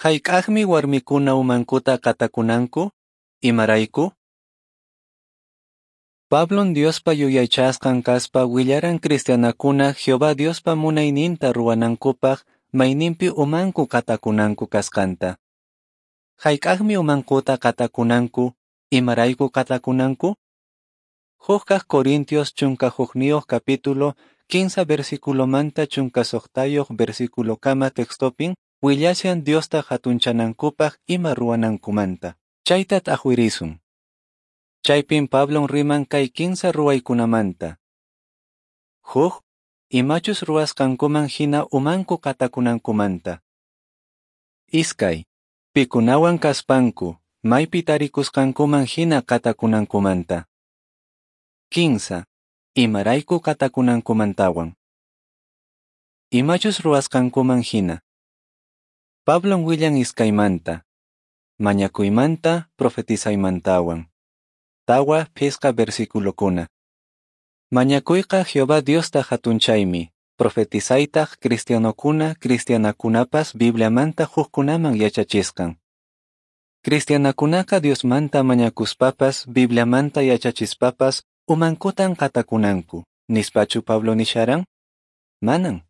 Hayk'aqmi warmikuna umankuta qatakunanku? Imarayku? Pablon Diospa yuyaychasqan kaspa willaran cristianakuna Jehová Diospa munayninta ruwanankupaq mayninpi umanku qatakunanku kasqanta. Hayk'aqmi umankuta qatakunanku? Imarayku qatakunanku? 1 Corintios 11 capítulo 15 versículomanta 16 versículokama textopin willashan Diosta hatunchanankupaq ima ruwanankumanta. Chayta t'aqwirisun. Chaypin Pablon riman kay 15 ruwaykunamanta. 1. Imachus ruwasqankuman hina umanku qatakunankumanta. 2. Pikunawan kaspanku, maypi tarikusqankuman hina qatakunankumanta. 15. Imarayku qatakunankumantawan. Imachus ruwasqankuman hina. Pablon willan iskaymanta. Mañakuymanta, profetizaymantawan. 4 5 versículokuna. Mañakuyqa Jehová Diosta hatunchaymi, profetizaytaq cristianokuna, cristianakunapas Bibliamanta hukkunaman yachachisqan. Cristianakunaqa Diosmanta mañakuspapas, Bibliamanta yachachispapas, umankutan qatakunanku, nispachu Pablo nisharan? Manan.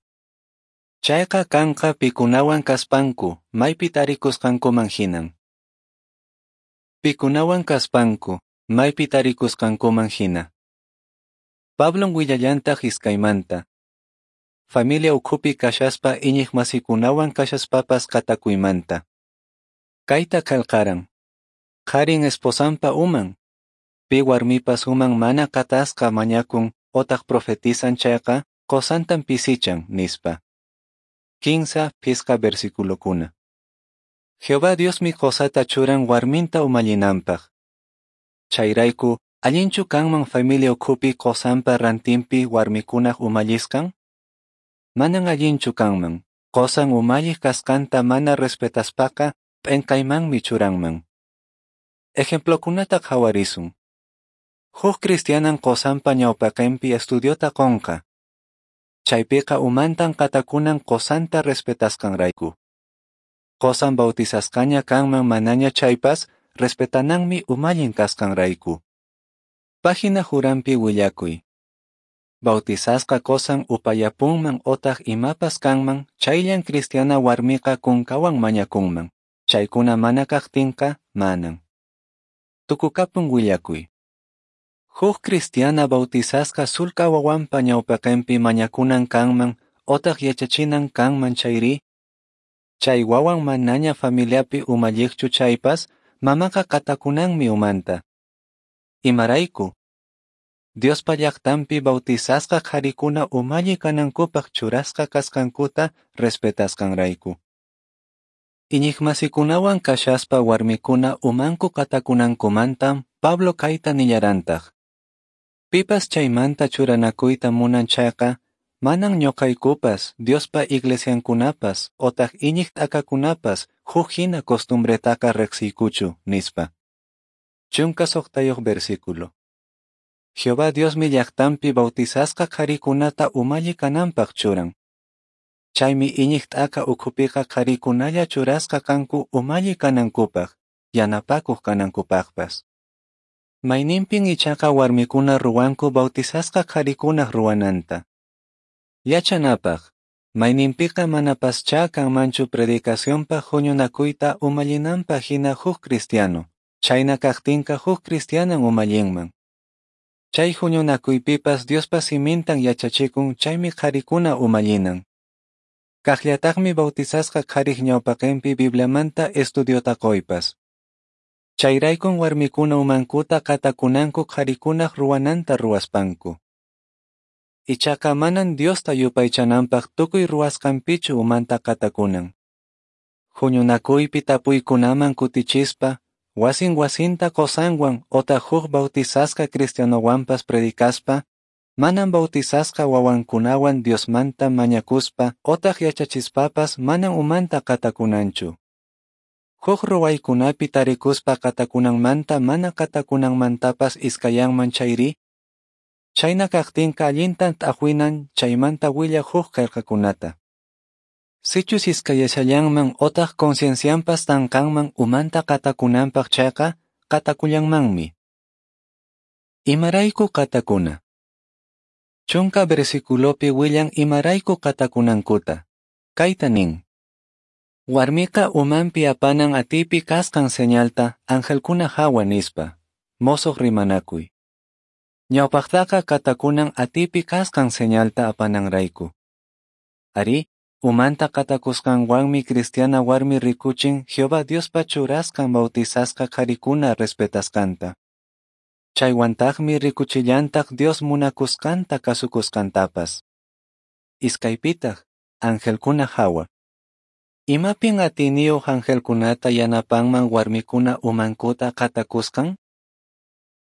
Chayqa kanqa pikunawan kaspanku, maypi tarikusqankuman hinan. Pikunawan kaspanku, maypi tarikusqankuman hina. Pablon willallantaq iskaymanta. Familia ukhupi kashaspa iñiq masikunawan kashaspapas qatakuymanta. Kayta qelqaran. Qharin esposanpa uman. Pi warmipas uman mana qatasqa mañakun otaq profetizan chayqa qosantan pisichan, nispa. 15 5 versículokuna. Jehová Diosmi qosata churan warminta umallinanpaq. Chayrayku, allinchu kanman familia ukhupi qosanpa rantinpi warmikunaq umallisqan? Manan allinchu kanman. Qosan umalliq kasqanta mana respetaspaqa p'enqaymanmi churanman. Ejemplokunata qhawarisun. Huk cristianan qosanpa ñawpaqinpi estudiota qonqa. Chaypiqa umantan qatakunan qosanta respetasqanrayku. Qosan bautizasqaña kanman manaña chaypas, respetananmi umallin kasqanrayku. Página juranpi willakuy. Bautizasqa qosan upayapunman otaq imapas kanman, chayllan cristiana warmiqa kunkawan mañakunman. Chaykuna mana kaqtinqa, manan. Tukukapun willakuy. Huk cristiana bautizasqa sulka wawanpa ñawpaqinpi mañakunan kanman otaq yachachinan kanman chayri, chay wawan manaña familiapi umalliqchu chaypas, mamaqa qatakunanmi umanta. Imarayku? Diospa llaqtanpi bautizasqa qharikuna umalli kanankupaq churasqa kasqankuta respetasqanrayku. Iñiqmasikunawan kashaspa warmikuna umanku qatakunankumantam Pablo kayta nillarantaq. Pipas chaymanta churanakuyta munan chayqa, manan ñuqaykupas, Diospa iglesiankunapas, otaq iñiq t'akakunapas huk hina costumbretaqa riqsiykuchu, nispa. 16 versículo. Jehová Diosmi llaqtanpi bautizasqa qharikunata umalli kananpaq churan. Chaymi iñiq t'aka ukhupiqa qharikunalla churasqa kanku umalli kanankupaq, yanapakuq kanankupaqpas. Mayninpin ichaqa warmikuna ruwanku bautizasqa qharikunaq ruwananta. Yachanapaq, mayninpiqa manapaschá kanmanchu predicacionpaq huñunakuyta umallinanpaq hina huk cristiano, chayna kaqtinqa huk cristianan umallinman. Chay huñunakuypipas Diospa simintan yachachikun chaymi qharikuna umallinan. Kaqllataqmi bautizasqa qhariq ñawpaqinpi Bibliamanta estudiota qoypas. Chayraykun warmikuna umankuta qatakunanku qharikunaq ruwananta ruwaspanku. Ichaqa manan Diosta yupaychananpaq tukuy ruwasqanpichu umanta qatakunan. Huñunakuypi tapuykunaman kutichispa, wasin wasinta qosanwan otaq huk bautizasqa cristianowanpas predicaspa, manan bautizasqa wawankunawan Diosmanta mañakuspa otaq yachachispapas manan umanta qatakunanchu. Huk ruwaykunapi tarikuspa qatakunanmanta mana qatakunanmantapas iskayanman chayri, chayna kaqtinqa allintan t'aqwinan chaymanta willaq huk qillqakunata. Sichus iskayashallanman otaq conciencianpas tanqanman umanta qatakunanpaq chayqa, qatakullanmanmi. Imarayku qatakuna. 10 versiculopi willan imarayku qatakunankuta. Kayta nin. Warmiqa umanpi apanan atipi kasqan señalta angelkuna hawa nispa. Mosoq rimanakuy. Ñawpaqtaqa qatakunan atipi kasqan señalta apananrayku. Arí, umanta qatakusqanwanmi cristiana warmi rikuchin Jehová Diospa churasqan bautizasqa qharikuna respetasqanta. Chaywantaqmi rikuchillantaq Dios munakusqanta kasukusqantapas. Iskaypitaq, angelkuna hawa. Imapin atiyniyuq angelkunata yanapanman warmikuna umankuta qatakusqan?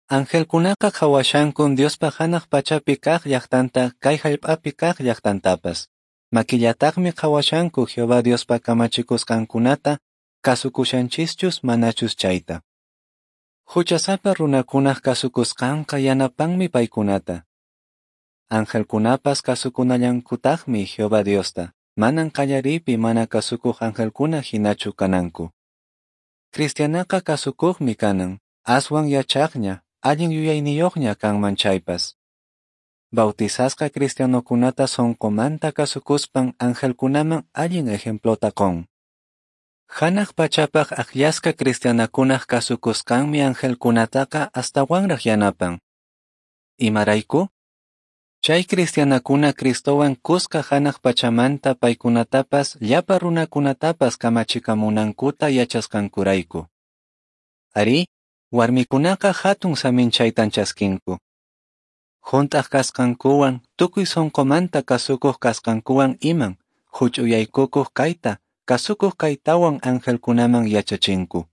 Angelkunaqa qhawashankun Diospa hanaq pachapi kaq llaqtanta kay hallp'api kaq llaqtantapas. Makillataqmi qhawashanku Jehová Diospa kamachikusqankunata kasukushanchischus manachus chayta. Huchasapa runakunaq kasukusqanqa yanapanmi paykunata. Angelkunapas kasukunallankutaqmi Jehová Diosta, manan qallariypi mana kasukuq angelkuna hinachu kananku. Cristianaqa kasukuqmi kanan, aswan yachaqña, allin yuyayniyuqña kanman chaypas. Bautizasqa cristianokunata sonqomanta kasukuspan angelkunaman allin ejemplota qon. Hanaq pachapaq akllasqa cristianakunaq kasukusqanmi angelkunataqa astawanraq yanapan. Imarayku? Chay cristianakuna Cristowan kuska hanaq pachamanta paykunatapas llapa runakunatapas kamachikamunankuta yachasqankurayku. Arí, warmikunaqa hatun saminchaytan chaskinku. Hunt'aq kasqankuwan, tukuy sonqomanta kasukuq kasqankuwan iman, huch'uyaykukuq kayta, kasukuq kaytawan angelkunaman yachachinku.